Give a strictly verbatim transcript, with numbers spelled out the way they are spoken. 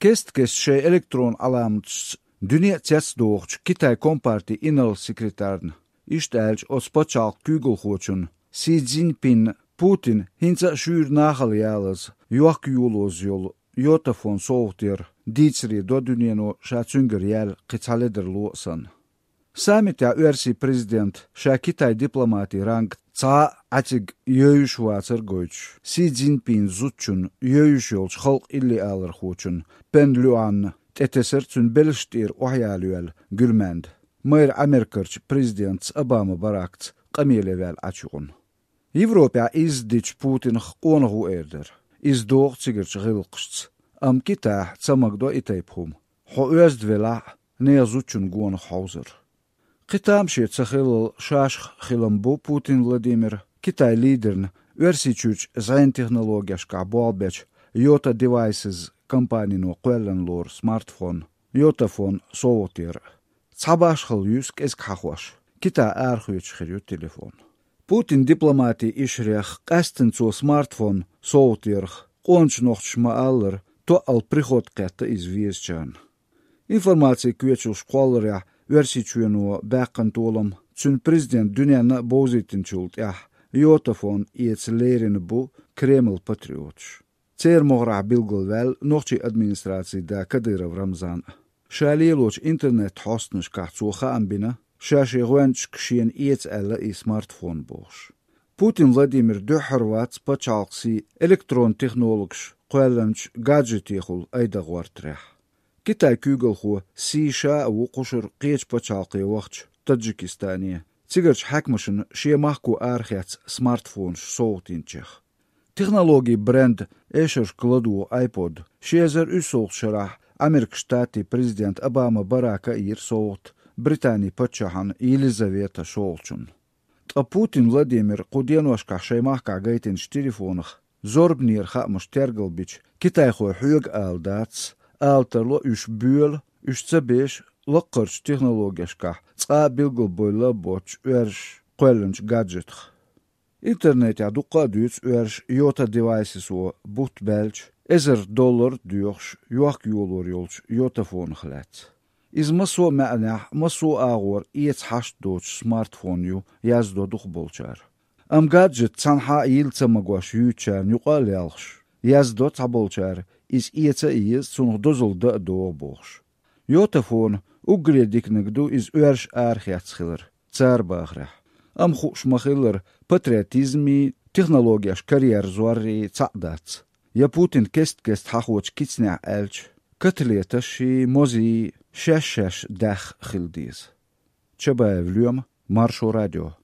Кест-кеста шайн электрон Ӏаламаташца дуьне а цецдохучу Китайн компартин инарла секретарна иштта аьлча, оцу пачхьалкхан куьйгалхочунна Си Цзиньпинна Путина хӀинца а шуьйра нахала ялаза, йохка-йолоза йолу йотафон совгӀат яр дийцаре до дуьнено, ша цуьнгара яьлла кхин цхьа ледарло а санна. Саммитехь оьрсийн президента ша Китайн дипломатин ранг цхьа а Ӏаьцига евзаш вацар гойтуш, Си Цзиньпинан зудчунна, евзаш йолчу халкъан иллиалархочунна Пен Люанна тӀетесара цуьнан белшаш тӀера охьаяла йоьлла гуьлмаьнда, майра Америкерчу президентаца Обама Баракца къамеле ваьлла Ӏачу юкъана. Европехь изза дича Путинах къонах ву эр дара. Иза догӀу цигарчу гӀиллакхашца. Амма Китайхь ца магадо и тайпа хӀума. Хьо оьзда велахь а, нехан зудчун гонах хьовзар. Кхин тамашийна ца хиллал шашах хилам бу Путин Владимира Китайн лидерна Оьрсийчуьрчу зӀенан технологешкахь болх бечу Yota Devices компанино кхоьллина лору смартфон, йотафон совгӀат яр. Цхьа башхалла юьсу кӀезиг хьахош, Китайн арахоьцуш хир ю телефон. Путинан дипломатин ишарех къаьсттина цо смартфон совгӀат ярх къоначу нохчаша ма-аллара, тоъал приход кхетта иза везачарна. Информацин коьчалш кхолларехь Оьрсийчоьно баьккхина толам цуьнан президента дуьненна а бовзийтинчул тӀаьхьа йотафон эца лерина бу Кремлан патриоташ. Церан могӀарехь билгалваьлла нохчийн администрацин да Кадыров Рамзан а. Ша лелочу интернет-хьостанашкахь цо хаам бина, ша шен гӀоьнчашка шена эца аьлла и смартфон бохуш. Путин Владимира дуьххьара вац пачхьалкхан сий электрон технологаш кхоьллинчу гаджетехула айдагӀа гӀортарехь. Китайн куьйгалхо сий ша а ву кхушара кхечу пачхьалкхе вахча Таджикистане, цигарчу хьаькамашна шен махко арахецна смартфонаш совгӀатйинчех. Технологийн бренд эшаршка ладугӀу iPod ши эзар уьссалгӀачу шарахь Америкин Штатийн президента Обама Барака а йира совгӀат Британин паччахьна Елизавета шолгӀачунна. Ткъа Путин Владимира кху деношкахь шайн махкахь гайтинчу телефонах зорбанера хаамаш тергалбича, китайхой хьоьга ала дац, ала тарло уьш боьла, уьш ца беша лаккхарчу технологешкахь цкъа а билгалбевлла а боццуш оьрсаша кхоьллинчу гаджетах. Интернетехь дуккха а дуьйцу оьрсаша Yota Devices-о бутт баьлча, эзар доллар а доьхуш, йохка-йолор йолчу йотафонах лаьцна. Иза массо а маьӀнехь, массо а агӀор эца хьашт доцуш смартфон ю, яздо дукхахболчара. Амма гаджет цхьанхьа а йилла ца магош юьйцучарна юкъа а лелхаш, яздо цхьаболчара, иза эца а еза, цунах дозалла дан а догӀу бохуш. Йотафона уггаре диканиг ду иза оьрсаша арахецна хилар, цара бахарехь. Амма хууш ма-хиллара, патриотизмий, технологеш карьера зоррий цхьаъ дац. Я Путина кест-кеста хьахочу кицанехь аьлча, котлеташший, мозий шаьш-шаьш даьхна хила деза. Чабаев Лоьма, Маршо радио.